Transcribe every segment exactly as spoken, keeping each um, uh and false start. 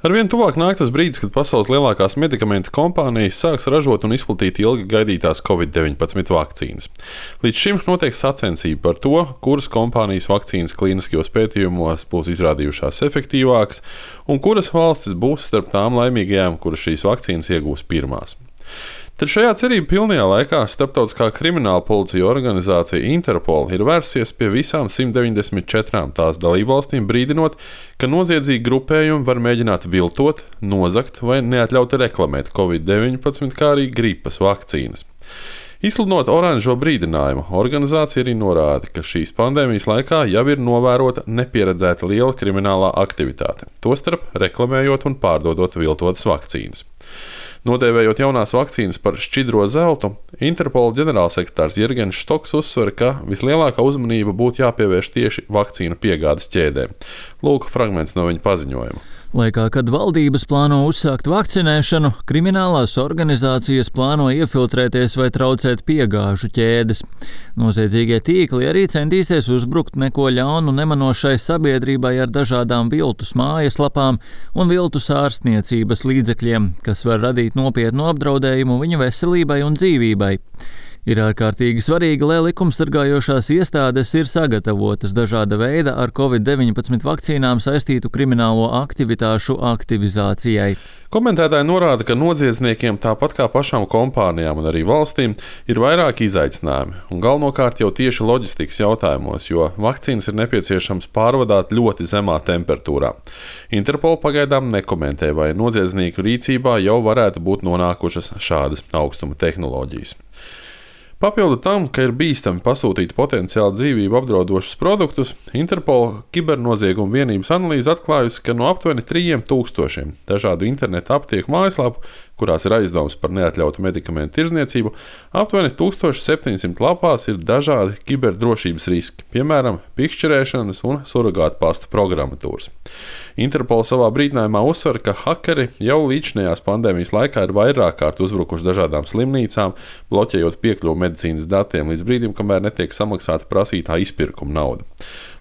Arvien tuvāk nāk tas brīdis, kad pasaules lielākās medikamentu kompānijas sāks ražot un izplatīt ilgi gaidītās covid deviņpadsmit vakcīnas. Līdz šim notiek sacensība par to, kuras kompānijas vakcīnas klīniskajos pētījumos būs izrādījušās efektīvākas un kuras valstis būs starp tām laimīgajām, kuras šīs vakcīnas iegūs pirmās. Tad šajā cerību pilnajā laikā starptautiskā krimināla policija organizācija Interpol ir vērsies pie visām simt deviņdesmit četrām tās dalībvalstīm, brīdinot, ka noziedzīgi grupējumi var mēģināt viltot, nozagt vai neatļauti reklamēt covid deviņpadsmit, kā arī gripas vakcīnas. Izsludinot oranžo brīdinājumu, organizācija arī norāda, ka šīs pandēmijas laikā jau ir novērota nepieredzēta liela kriminālā aktivitāte, tostarp reklamējot un pārdodot viltotas vakcīnas. Nodēvējot jaunās vakcīnas par šķidro zeltu, Interpola ģenerālsekretārs Jirgens Štoks uzsver, ka vislielākā uzmanība būtu jāpievērš tieši vakcīnu piegādes ķēdēm. Lūk, fragments no viņa paziņojuma. Laikā, kad valdības plāno uzsākt vakcinēšanu, kriminālās organizācijas plāno iefiltrēties vai traucēt piegāžu ķēdes. Noziedzīgie tīkli arī centīsies uzbrukt neko ļaunu nemanošai sabiedrībai ar dažādām viltus mājaslapām un viltus ārstniecības līdzekļiem, kas var radīt nopietnu apdraudējumu viņu veselībai un dzīvībai. Ir ārkārtīgi svarīgi, lai likumsargājošās iestādes ir sagatavotas dažāda veida ar covid deviņpadsmit vakcīnām saistītu kriminālo aktivitāšu aktivizācijai. Komentētāji norāda, ka noziedzniekiem, tāpat kā pašām kompānijām un arī valstīm, ir vairāki izaicinājumi, un galvenokārt jau tieši loģistikas jautājumos, jo vakcīnas ir nepieciešams pārvadāt ļoti zemā temperatūrā. Interpol pagaidām nekomentē, vai noziedznieku rīcībā jau varētu būt nonākušas šādas augstuma tehnoloģijas. Papildu tam, ka ir bīstami pasūtīt potenciāli dzīvību apdraudošus produktus, Interpola kibernoziegumu vienības analīze atklājusi, ka no aptuveni trīs tūkstošiem dažādu interneta aptieku mājaslapu, kurās ir aizdomas par neatļautu medikamentu tirdzniecību, aptuveni tūkstoš septiņsimt lapās ir dažādi kiberdrošības riski, piemēram, pikšķerēšanas un surogātu pasta programmatūras. Interpola savā brīdinājumā uzsver, ka hakeri jau līdzinājās pandēmijas laikā ir vairāk kārt uzbrukuši dažādām slimnīcām, bloķējot piekļuvu medicīnas datiem līdz brīdim, kamēr netiek samaksāta prasītā izpirkuma nauda.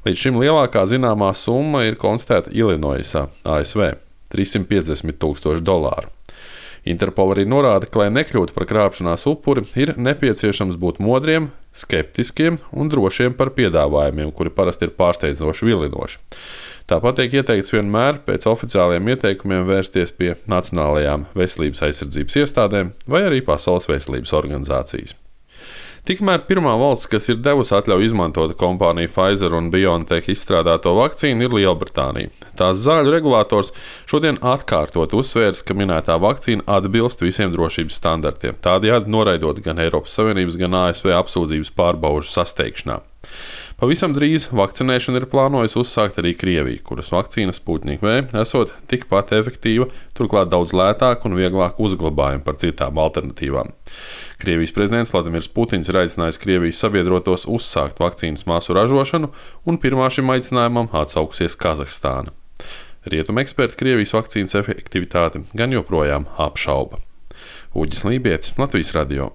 Līdz šim lielākā zināmā summa ir konstatēta Ilinoisā, A S V - trīssimt piecdesmit tūkstoši dolāru. Interpol arī norāda, ka, lai nekļūtu par krāpšanās upuri, ir nepieciešams būt modriem, skeptiskiem un drošiem par piedāvājumiem, kuri parasti ir pārsteidzoši vilinoši. Tāpat tiek ieteikts vienmēr pēc oficiāliem ieteikumiem vērsties pie Nacionālajām veselības aizsardzības iestādēm vai arī Pasaules veselības organizācijas. Tikmēr pirmā valsts, kas ir devusi atļauju izmantot kompāniju Pfizer un BioNTech izstrādāto vakcīnu, ir Lielbritānija. Tās zāļu regulators šodien atkārtot uzsvērs, ka minētā vakcīna atbilst visiem drošības standartiem, tādējādi noraidot gan Eiropas Savienības, gan A S V apsūdzības pārbaužu sasteigšanā. Pavisam drīz vakcinēšanu ir plānojusi uzsākt arī Krievija, kuras vakcīna Sputnik V esot tikpat efektīva, turklāt daudz lētāka un vieglāk uzglabājama par citām alternatīvām. Krievijas prezidents Vladimirs Putins ir aicinājis Krievijas sabiedrotos uzsākt vakcīnas masu ražošanu, un pirmā šim aicinājumam atsaukusies Kazahstāna. Rietumu eksperti Krievijas vakcīnas efektivitāti gan joprojām apšauba. Uģis Lībietis, Latvijas radio.